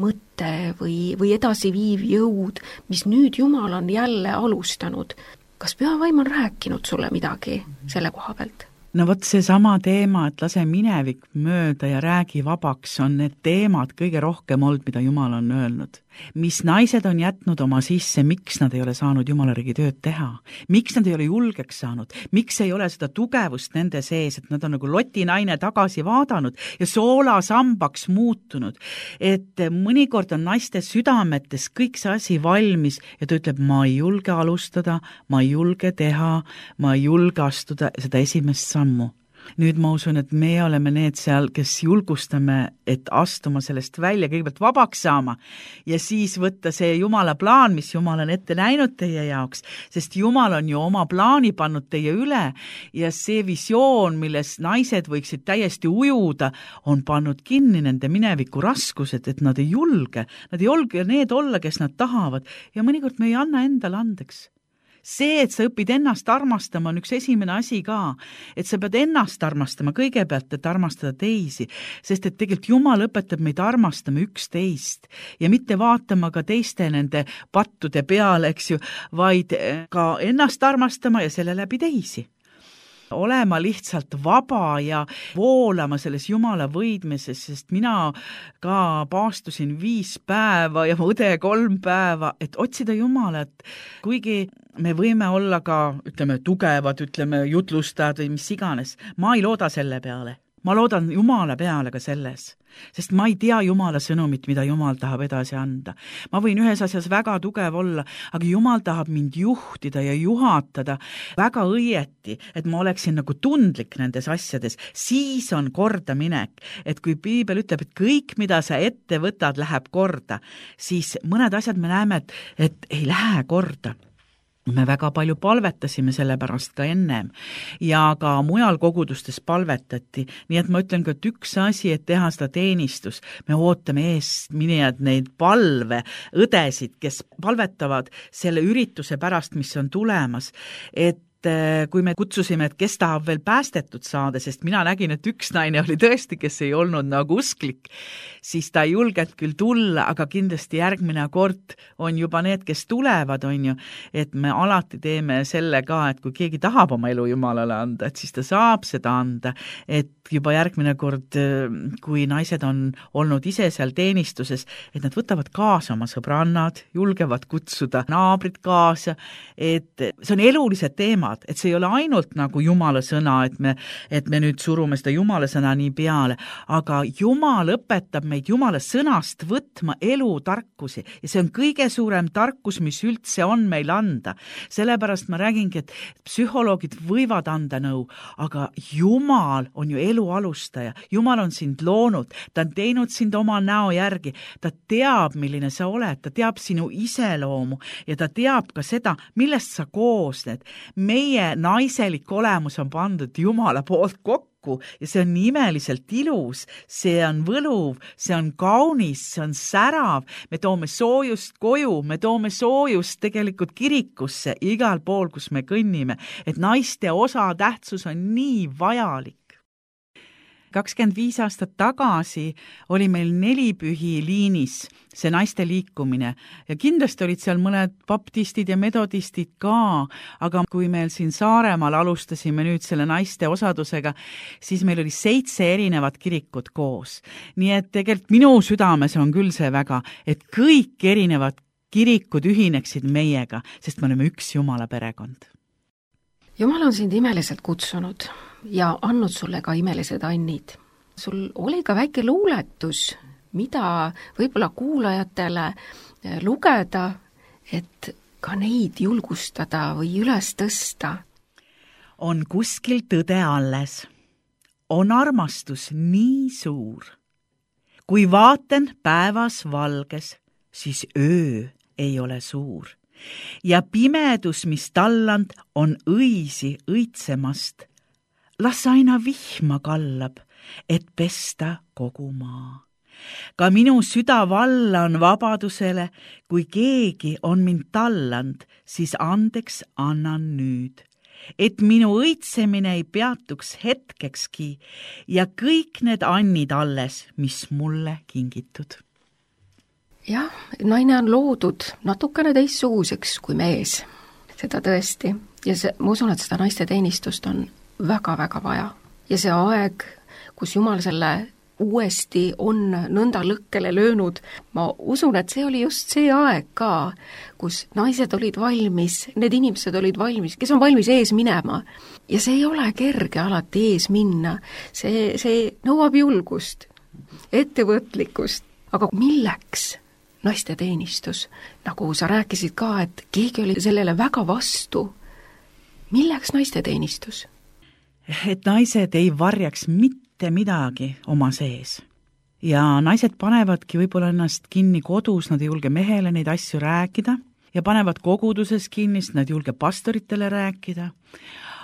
mõte või edasiviiv jõud, mis nüüd Jumal on jälle alustanud? Kas pühavaim on rääkinud sulle midagi selle koha pealt? No vot see sama teema, et lase minevik mööda ja räägi vabaks, on need teemad kõige rohkem olnud, mida Jumal on öelnud. Mis naised on jätnud oma sisse, miks nad ei ole saanud Jumalariigi tööd teha, miks nad ei ole julgeks saanud, miks ei ole seda tugevust nende sees, et nad on nagu lotinaine tagasi vaadanud ja soolasambaks muutunud. Et mõnikord on naiste südametes kõik see asi valmis ja ta ütleb, ma ei julge alustada, ma ei julge teha, ma ei julge astuda seda esimest sammu. Nüüd ma usun, et me oleme need seal, kes julgustame, et astuma sellest välja, kõigepealt vabaks saama ja siis võtta see Jumala plaan, mis Jumal on ette näinud teie jaoks, sest Jumal on ju oma plaani pannud teie üle ja see visioon, milles naised võiksid täiesti ujuda, on pannud kinni nende mineviku raskused, et nad ei julge need olla, kes nad tahavad ja mõnikord me ei anna endale andeks. See, et sa õpid ennast armastama, on üks esimene asi ka, et sa pead ennast armastama kõigepealt, et armastada teisi, sest et tegelikult Jumal õpetab meid armastama üksteist ja mitte vaatama ka teiste nende pattude peale, eks ju, vaid ka ennast armastama ja selle läbi teisi. Olema lihtsalt vaba ja voolama selles Jumala võidmises, sest mina ka paastusin 5 päeva ja õde 3 päeva, et otsida Jumalat, kuigi me võime olla ka, tugevad, jutlustajad või mis iganes. Ma ei looda selle peale. Ma loodan Jumala peale ka selles, sest ma ei tea Jumala sõnumit, mida Jumal tahab edasi anda. Ma võin ühes asjas väga tugev olla, aga Jumal tahab mind juhtida ja juhatada väga õieti, et ma oleksin nagu tundlik nendes asjades. Siis on kordaminek, et kui Piibel ütleb, et kõik, mida sa ette võtad, läheb korda, siis mõned asjad me näeme, et ei lähe korda. Me väga palju palvetasime selle pärast ka ennem ja ka mujal kogudustes palvetati, nii et ma ütlen ka, et üks asi, et teha seda teenistus, me ootame eest minejad neid palve õdesid, kes palvetavad selle ürituse pärast, mis on tulemas, et kui me kutsusime, et kes tahab veel päästetud saada, sest mina nägin, et üks naine oli tõesti, kes ei olnud nagu usklik, siis ta ei julgenud küll tulla, aga kindlasti järgmine kord on juba need, kes tulevad, on ju, et me alati teeme selle ka, et kui keegi tahab oma elu Jumalale anda, et siis ta saab seda anda, et juba järgmine kord, kui naised on olnud ise seal teenistuses, et nad võtavad kaasa oma sõbrannad, julgevad kutsuda naabrid kaasa, et see on elulised teemad, et see ei ole ainult nagu Jumala sõna, et me nüüd surume seda Jumala sõna nii peale, aga Jumal õpetab meid Jumala sõnast võtma elutarkusi ja see on kõige suurem tarkus, mis üldse on meil anda. Sellepärast ma räägingi, et psühholoogid võivad anda nõu, aga Jumal on ju elu alustaja. Jumal on sind loonud, ta on teinud sind oma näo järgi, ta teab, milline sa oled, ta teab sinu iseloomu ja ta teab ka seda, millest sa koosned. Meie naiselik olemus on pandud Jumala poolt kokku ja see on imeliselt ilus, see on võluv, see on kaunis, see on särav, me toome soojust koju, me toome soojust tegelikult kirikusse igal pool, kus me kõnnime, et naiste osatähtsus on nii vajalik. 25 aastat tagasi oli meil 4 pühi liinis see naiste liikumine ja kindlasti olid seal mõned baptistid ja metodistid ka, aga kui meil siin Saaremaal alustasime nüüd selle naiste osadusega, siis meil oli 7 erinevat kirikut koos. Nii et tegelikult minu südames on küll see väga, et kõik erinevad kirikud ühineksid meiega, sest me oleme üks Jumala perekond. Jumal on sind imeliselt kutsunud ja andnud sulle ka imelised annid. Sul oli ka väike luuletus, mida võib-olla kuulajatele lugeda, et ka neid julgustada või üles tõsta. on kuskil tõde alles. On armastus nii suur. Kui vaatan päevas valges, siis öö ei ole suur. Ja pimedus, mis talland, on õisi õitsemast. Las aina vihma kallab, et pesta kogu maa. Ka minu süda valla on vabadusele, kui keegi on mind talland, siis andeks annan nüüd. Et minu õitsemine ei peatuks hetkekski ja kõik need annid alles, mis mulle kingitud. Jah, naine on loodud natukene teistsuguseks kui mees, seda tõesti. Ja ma usun, et seda naiste teenistust on väga-väga vaja. Ja see aeg, kus Jumal selle uuesti on nõnda lõkkele löönud, ma usun, et see oli just see aeg ka, kus naised olid valmis, need inimesed olid valmis, kes on valmis ees minema. Ja see ei ole kerge alati ees minna, see nõuab julgust, ettevõtlikkust, aga milleks naiste teenistus? Nagu sa rääkisid ka, et keegi oli sellele väga vastu. Milleks naiste teenistus? Et naised ei varjaks mitte midagi oma sees. Ja naised panevadki võib-olla ennast kinni kodus, nad ei julge mehele neid asju rääkida ja panevad koguduses kinni, nad ei julge pastoritele rääkida.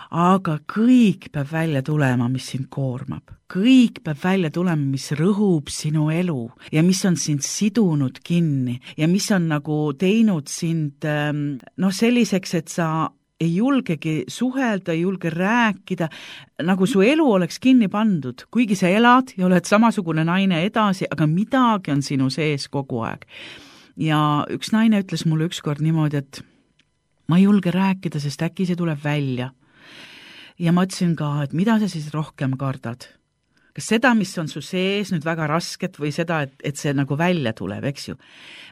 Aga kõik peab välja tulema, mis sind koormab. Kõik peab välja tulema, mis rõhub sinu elu ja mis on sind sidunud kinni ja mis on nagu teinud sind selliseks, et sa ei julgegi suhelda, ei julge rääkida, nagu su elu oleks kinni pandud, kuigi sa elad ja oled samasugune naine edasi, aga midagi on sinu sees kogu aeg. Ja üks naine ütles mulle ükskord niimoodi, et ma ei julge rääkida, sest äkki see tuleb välja. Ja ma ütlesin ka, et mida sa siis rohkem kardad? Kas seda, mis on su sees nüüd väga rasket või seda, et see nagu välja tuleb, eks ju?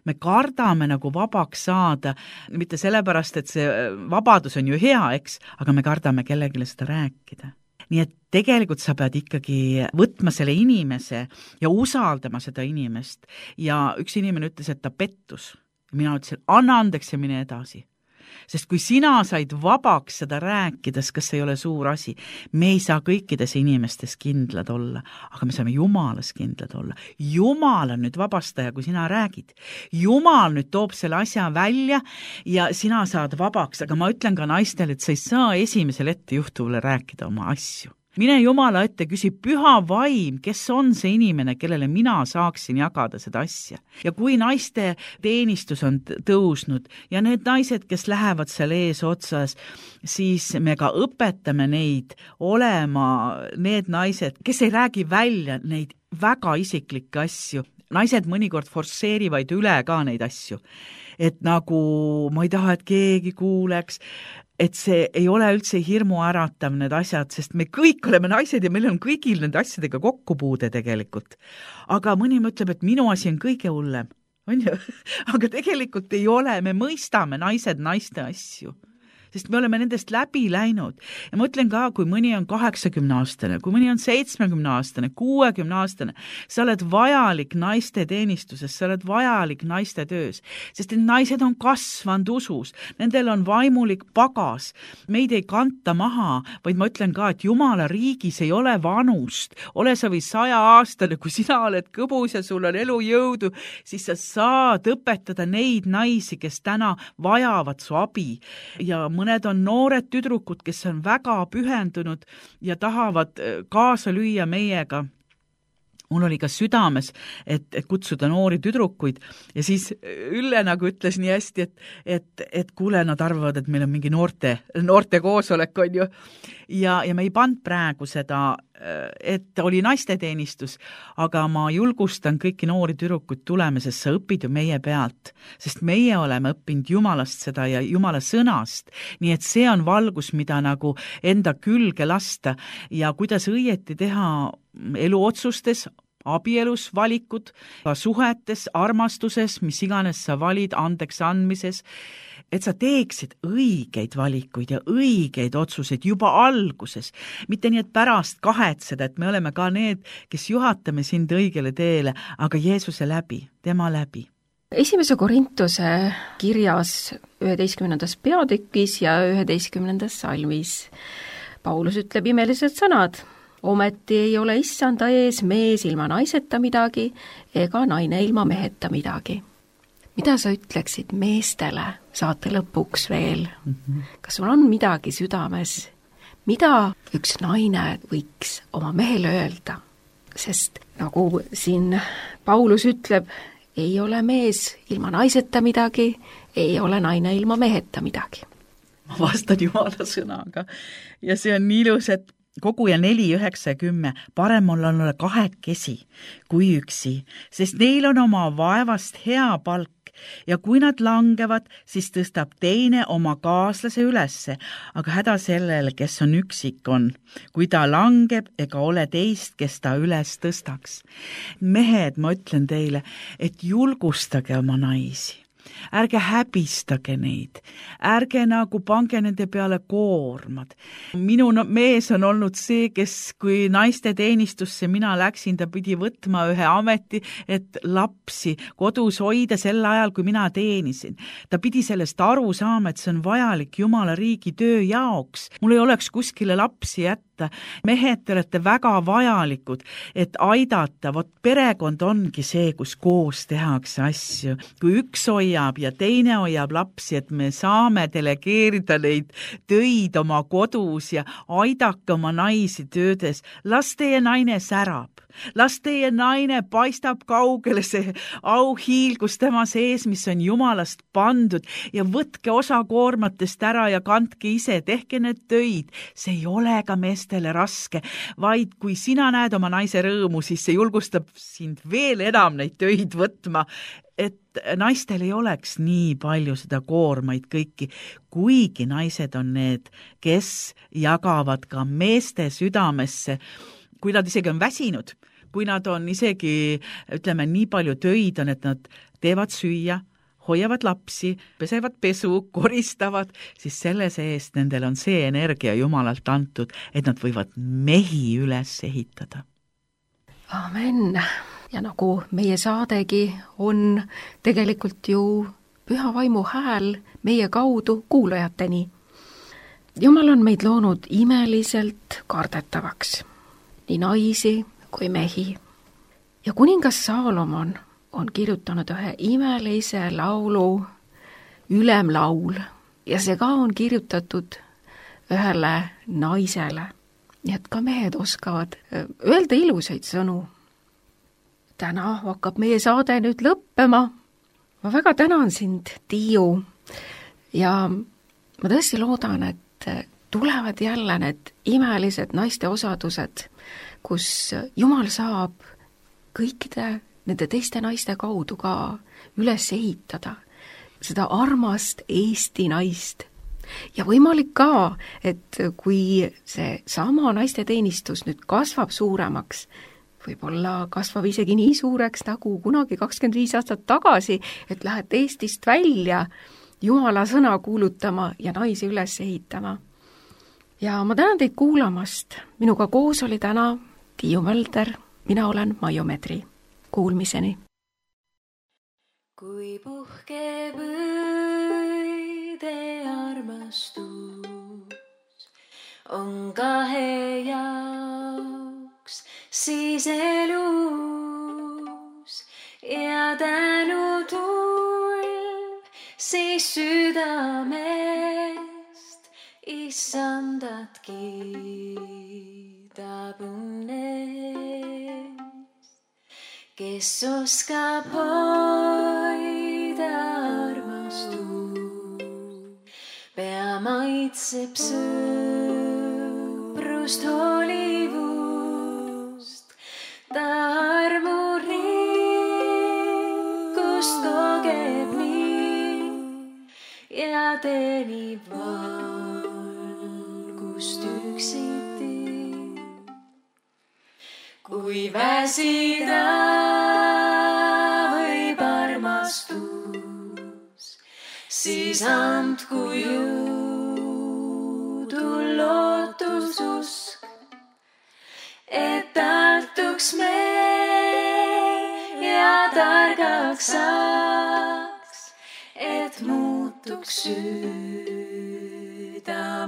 Me kardame nagu vabaks saada, mitte sellepärast, et see vabadus on ju hea, eks, aga me kardame kellegile seda rääkida. Nii et tegelikult sa pead ikkagi võtma selle inimese ja usaldama seda inimest. Ja üks inimene ütles, et ta pettus. Mina ütlesin, anna andeks ja mine edasi. Sest kui sina said vabaks seda rääkides, kas see ei ole suur asi, me ei saa kõikides inimestes kindlad olla, aga me saame Jumalas kindlad olla. Jumal on nüüd vabastaja, kui sina räägid. Jumal nüüd toob selle asja välja ja sina saad vabaks, aga ma ütlen ka naistele, et sa ei saa esimesel ettejuhtuvale rääkida oma asju. Mine Jumala ette, küsi püha vaim, kes on see inimene, kellele mina saaksin jagada seda asja. Ja kui naiste teenistus on tõusnud ja need naised, kes lähevad seal ees otsas, siis me ka õpetame neid olema need naised, kes ei räägi välja neid väga isiklikke asju. Naised mõnikord forsseerivad üle ka neid asju. Et nagu ma ei taha, et keegi kuuleks, et see ei ole üldse hirmu äratav need asjad, sest me kõik oleme naised ja meil on kõigil nende asjadega kokkupuude tegelikult. Aga mõni mõtleb, et minu asi on kõige hullem, on ju? Aga tegelikult ei ole, me mõistame naised naiste asju. Sest me oleme nendest läbi läinud. Ja ma ütlen ka, kui mõni on 80-aastane, kui mõni on 70-aastane, 60-aastane, sa oled vajalik naiste teenistuses, sa oled vajalik naiste töös. Sest need naised on kasvanud usus, nendel on vaimulik pagas, meid ei kanta maha, vaid ma ütlen ka, et Jumala riigis ei ole vanust. Ole sa või 100-aastane, kui sina oled kõbus ja sul on elujõudu, siis sa saad õpetada neid naisi, kes täna vajavad su abi ja mõned on noored tüdrukud, kes on väga pühendunud ja tahavad kaasa lüüa meiega. Mul oli ka südames, et kutsuda noori tüdrukuid ja siis Ülle nagu ütles nii hästi, et kuule, nad arvavad, et meil on mingi noorte koosolek on ju. Ja me ei pand praegu seda, et oli naisteteenistus, aga ma julgustan kõiki noori tüdrukuid tulema, sest sa õpid ju meie pealt, sest meie oleme õppinud Jumalast seda ja Jumala sõnast, nii et see on valgus, mida nagu enda külge lasta ja kuidas õieti teha eluotsustes, abielus valikud, suhetes, armastuses, mis iganes sa valid, andeks andmises, et sa teeksid õigeid valikuid ja õigeid otsuseid juba alguses, mitte nii, et pärast kahetseda, et me oleme ka need, kes juhatame sind õigele teele, aga Jeesuse läbi, tema läbi. 1. Korintuse kirjas 11. peatükis ja 11. salmis Paulus ütleb imelised sõnad. Ometi ei ole issanda ees mees ilma naiseta midagi ega naine ilma meheta midagi. Mida sa ütleksid meestele saate lõpuks veel? Kas sul on midagi südames? Mida üks naine võiks oma mehele öelda? Sest nagu siin Paulus ütleb, ei ole mees ilma naiseta midagi, ei ole naine ilma meheta midagi. Ma vastan Jumala sõnaga ja see on nii ilus, et Koguja 4, 9 ja 10, parem olla kahekesi kui üksi, sest neil on oma vaevast hea palk ja kui nad langevad, siis tõstab teine oma kaaslase ülesse, aga häda sellele, kes on üksik on. Kui ta langeb, ega ole teist, kes ta üles tõstaks. Mehed, ma ütlen teile, et julgustage oma naisi. Ärge häbistage neid, ärge nagu pange nende peale koormad. Minu mees on olnud see, kes kui naiste teenistusse mina läksin, ta pidi võtma ühe ameti, et lapsi kodus hoida sel ajal, kui mina teenisin. Ta pidi sellest aru saama, et see on vajalik Jumala riigi töö jaoks. Mul ei oleks kuskile lapsi jätta. Mehed, te olete väga vajalikud, et aidata. Vot perekond ongi see, kus koos tehakse asju. Kui üks hoiab ja teine hoiab lapsi, et me saame delegeerida neid töid oma kodus ja aidake oma naisi töödes. Las teie naine särab. Las teie naine paistab kaugele see auhiilgus tema sees, mis on Jumalast pandud ja võtke osa koormatest ära ja kandke ise, tehke need töid. See ei ole ka meestele raske, vaid kui sina näed oma naise rõõmu, siis see julgustab sind veel enam neid töid võtma, et naistel ei oleks nii palju seda koormaid kõiki, kuigi naised on need, kes jagavad ka meeste südamesse, kui nad isegi on väsinud, kui nad on isegi, ütleme, nii palju töid on, et nad teevad süüa, hoiavad lapsi, pesevad pesu, koristavad, siis selle seest nendel on see energia Jumalalt antud, et nad võivad mehi üles ehitada. Amen. Ja nagu meie saadegi on tegelikult ju püha vaimu hääl meie kaudu kuulajateni. Jumal on meid loonud imeliselt kardetavaks. Nii naisi kui mehi. Ja kuningas Saalomon on kirjutanud ühe imelise laulu, ülemlaul, ja see ka on kirjutatud ühele naisele. Nii et ka mehed oskavad öelda ilusaid sõnu. Täna hakkab meie saade nüüd lõppema. Ma väga tänan sind, Tiiu, ja ma tõesti loodan, et tulevad jälle need imelised naiste osadused, kus Jumal saab kõikide nende teiste naiste kaudu ka üles ehitada seda armast Eesti naist. Ja võimalik ka, et kui see sama naiste teenistus nüüd kasvab suuremaks, võib-olla kasvab isegi nii suureks nagu kunagi 25 aastat tagasi, et lähed Eestist välja Jumala sõna kuulutama ja naisi üles ehitama. Ja ma tänan teid kuulamast. Minuga koos oli täna Tiiu Mölder, mina olen Maiu Medri. Kuulmiseni. Kui puhkeb õide armastus on kahe jaoks, siis elus ja tänu tulv, siis südamest issandat kiidab õnnest, kes oskab hoida armastust, pea maitseb sõprust, hoolivust, ta armurikkust kogeb nii ja teenib valgust üksiti. Kui väsida võib armastus, siis andku jõudu lootususk, et tartuks me ja targaks saaks, et muutuks süda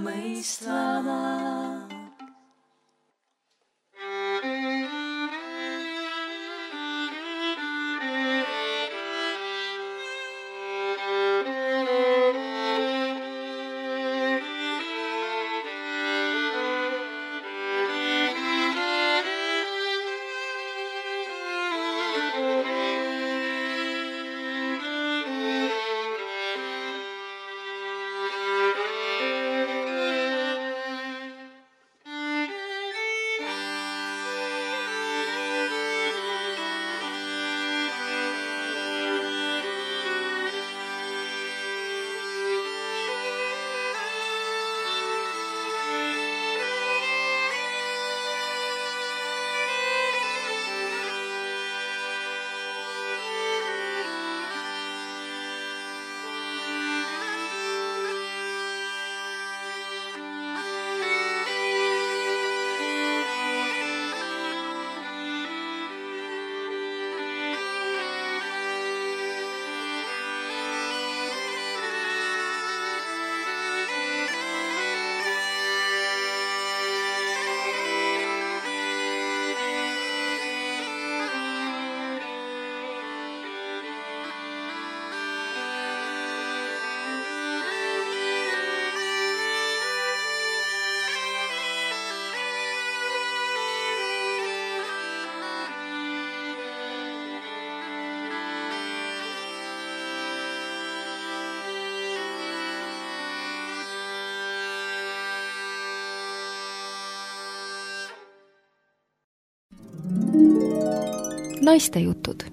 mõistvama. naistejutud